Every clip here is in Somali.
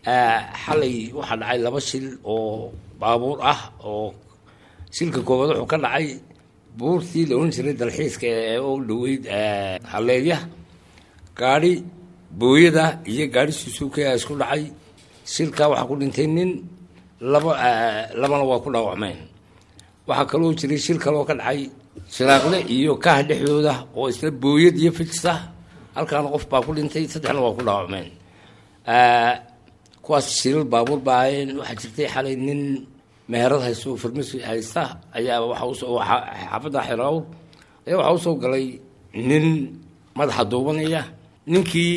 Xalay waxaa dhacay laba shil oo baabuur ah. Oo shilka koowaad wuxuu ka dhacay buurtii la ohan jiray dalxiiska ee u dhoweyd Haleeya. Gaadhi booyada iyo gaadhi Suzuki isku dhacay. Shilkaa waxaa ku dhintay nin, laba labana waa ku dhaawacmeen. Waxaa kaloo jiray shil kaloo ka dhacay Shiraaqle iyo Kaah dhexdooda, oo isla booyad iyo Vitz ah. Halkaana qof baa ku dhintay, saddexna waa ku dhaawacmeen. Kuwaas shilal baabuur baa ahayn. Waxaa jirtay xalay nin meherad haysto oo farmasi haysta ayaa waxa usoo xaafadda Xeraawr ayaa waxaa usoo galay nin madaxa duubanaya. Ninkii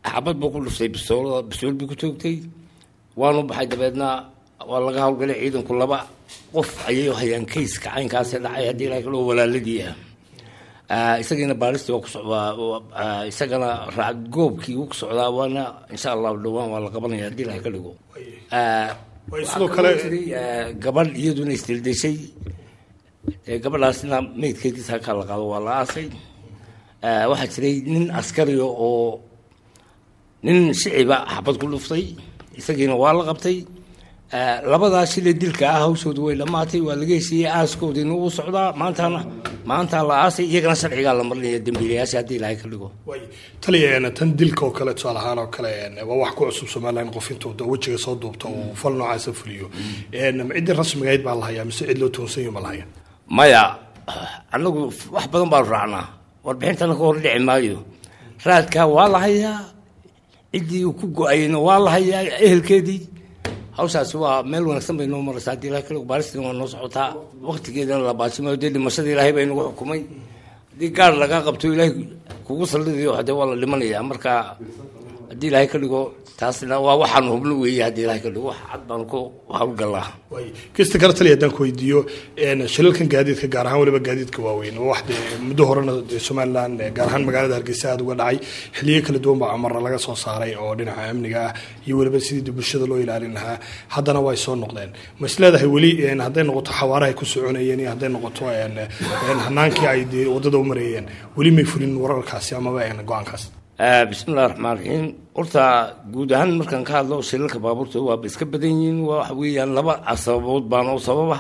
xabad buu ku dhuftay, bisoolada, bisool buu ku toogtay, waanu baxay. Dabeedna waa laga hawlgalay ciidanku. Laba qof ayay hayaan kayska caynkaasi dhacay, haddii Ilahay kaloo walaaladii ah. Isagiina baalistii waa ku socdaa, isagana raac goobkii wuu ku socdaa, waana insha Allahu dhowaan waa la qabanaya, haddii Ilahay ka dhigo. Sidoo kale gabadh iyaduna isdildeshay, gabadhaasna meydkeediisa halkaa la qaado, waa la aasay. Waxaa jiray nin askariya oo nin shiciba xabad ku dhuftay, isagiina waa la qabtay. Labadaa shile dilka ah hawshooda way dhammaatay, waa laga heshiiyey, aaskoodiina wuu socdaa. Maantana maantaa la aasay, iyagana sharcigaa la marinaya dembiilayaasha, haddii Ilaahay ka dhigo. Taliya, tan dilka oo kale, tusaale ahaan oo kale, waa wax ku cusub Somaliland qof intuu wejiga soo duubto uu fal noocaasa fuliyo. Ciddii rasmiga ahayd baa la hayaa mise cid loo toonsan yaho ma la haya? Maya, anagu wax badan baanu raacnaa, warbixintana ka hor dhici maayo. Raadkaa waa la hayaa, ciddii uu ku go-ayna waa la hayaa, ehelkeedii. Hawshaasi waa meel wanaagsan bay noo maraysaa, haddii Ilahay kale. Baaristina waa noo socotaa, waqtigeedana la baasimayo. Dee dhimashada Ilaahay baa inagu xukumay. Haddii gaar lagaa qabto, Ilaahay kugu sallidayo, hadee waa la dhimanaya. Marka haddii Ilaahay ka dhigo, taasna waa waxaanu hubno weeye. Haddii Ilaahay ka dhigo, wax cad baanu ku hawlgalnaa. Kista kale, taliya, haddaan ku weydiiyo shilalkan gaadiidka, gaar ahaan waliba gaadiidka waaweyn, waa wax dee muddo horena dee Somaliland, gaar ahaan magaalada Hargeysa, aada uga dhacay. Xiliyo kala duwan baa amarna laga soo saaray oo dhinaca amniga ah iyo weliba sidii dee bulshada loo ilaalin lahaa, haddana way soo noqdeen. Ma is leedahay weli, hadday noqoto xawaarahay ku soconayeen iyo hadday noqoto hanaankii ay dee waddada u marayeen, weli may fulin wararkaasi amaba go-aankaas? Bismillahi raxmaan raxiim. Horta guud ahaan markaan ka hadlo, shilalka baabuurta waaba iska badan yihiin. Waxa weeyaan laba sababood baana u sababa.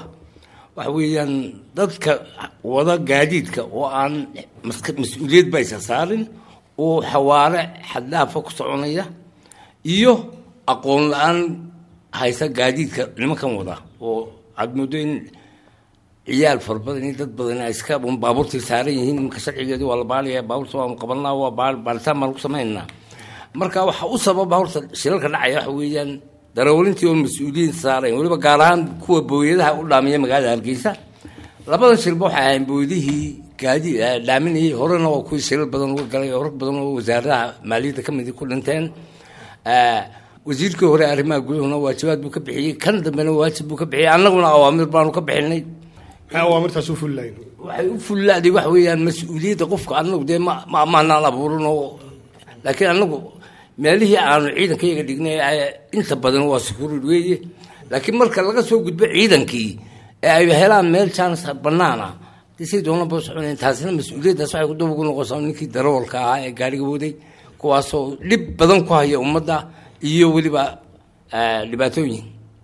Waxa weeyaan dadka wada gaadiidka oo aan mas-uuliyad ba aysan saarin oo xawaare xaddhaafa ku soconaya, iyo aqoon la-aan haysa gaadiidka nimankan wada, oo aada moodo in ciyaal fara badan iyo dad badan ay iska un baabuurtay saaran yihiin. Iminka sharcigeedu waa la baaraya baabuurta, waanu qabanaa, waa baaritaan baanu ku samaynaa. Marka waxa u sababa horta shilalka dhacaya waxa weeyaan darawlintii oon mas-uuliyiin saarayn, weliba gaar ahaan kuwa booyadaha u dhaamiya magaalada Hargeysa. Labadan shilba waxay ahayn booyadihii gaadi dhaaminayay. Horena waa kuwii shilal badan uga galay oo rag badan oo wasaaradaha maaliyadda ka midi ku dhinteen. Wasiirkii hore arrimaha guduhuna waajibaad buu ka bixiyey, kan dambena waajib buu ka bixiyey, annaguna awaamir baanu ka bixinay. Maxay awaamirtaas u fuli lahayn? Waxay u fullaaday waxa weeyaan mas-uuliyadda qofka. Annagu dee ma amaanaan abuurin oo, laakiin annagu meelihii aanu ciidankayaga dhignay inta badan waa security weeye. Laakiin marka laga soo gudbo ciidankii ee ay helaan meel chance banaana, dee say doonaan ba soconayn. Taasina mas-uuliyaddaas waxay ku daba ugu noqonaysaa ninkii darawalka ahaa ee gaariga waday, kuwaasoo dhib badan ku haya ummadda iyo weliba dhibaatooyin.